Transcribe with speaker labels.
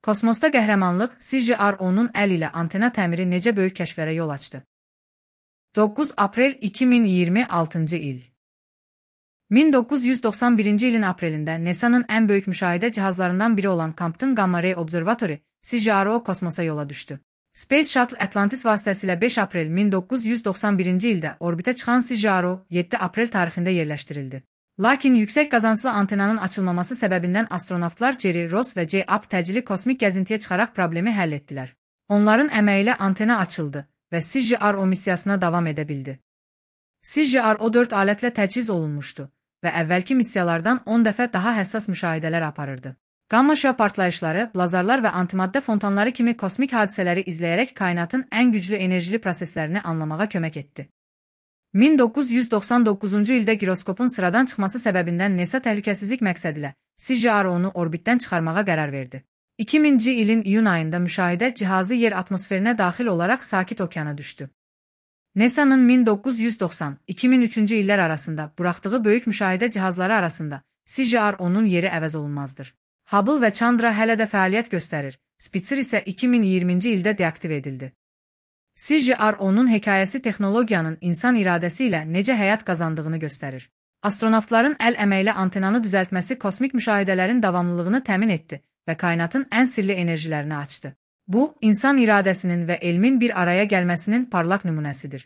Speaker 1: Kosmosda qəhrəmanlıq CJR-10-un əl ilə antena təmiri necə böyük kəşflərə yol açdı? 9 aprel 2026-cı il 1991-ci ilin aprelində NASA-nın ən böyük müşahidə cihazlarından biri olan Compton Gamma Ray Observatory CJRO kosmosa yola düşdü. Space Shuttle Atlantis vasitəsilə 5 aprel 1991-ci ildə orbitə çıxan CJRO 7 aprel tarixində yerləşdirildi. Lakin yüksək qazanclı antenanın açılmaması səbəbindən astronavtlar Jerry Ross və J. Up təcili kosmik gəzintiyə çıxaraq problemi həll etdilər. Onların əməyi ilə antena açıldı və CJRO missiyasına davam edə bildi. CJRO 4 alətlə təchiz olunmuşdu və əvvəlki missiyalardan 10 dəfə daha həssas müşahidələr aparırdı. Gamma şüa partlayışları, blazarlar və antimaddə fontanları kimi kosmik hadisələri izləyərək kainatın ən güclü enerjili proseslərini anlamağa kömək etdi. 1999-cu ildə giroskopun sıradan çıxması səbəbindən NASA təhlükəsizlik məqsədilə CJRO-nu orbitdən çıxarmağa qərar verdi. 2000-ci ilin iyun ayında müşahidə cihazı yer atmosferinə daxil olaraq Sakit okeana düşdü. NASA-nın 1990-2003-cü illər arasında buraxdığı böyük müşahidə cihazları arasında CJRO-nun yeri əvəz olunmazdır. Hubble və Chandra hələ də fəaliyyət göstərir, Spitzer isə 2020-ci ildə deaktiv edildi. CJRO-nun hekayəsi texnologiyanın insan iradəsi ilə necə həyat qazandığını göstərir. Astronavtların əl əməklə antenanı düzəltməsi kosmik müşahidələrin davamlılığını təmin etdi və kainatın ən sirli enerjilərini açdı. Bu, insan iradəsinin və elmin bir araya gəlməsinin parlaq nümunəsidir.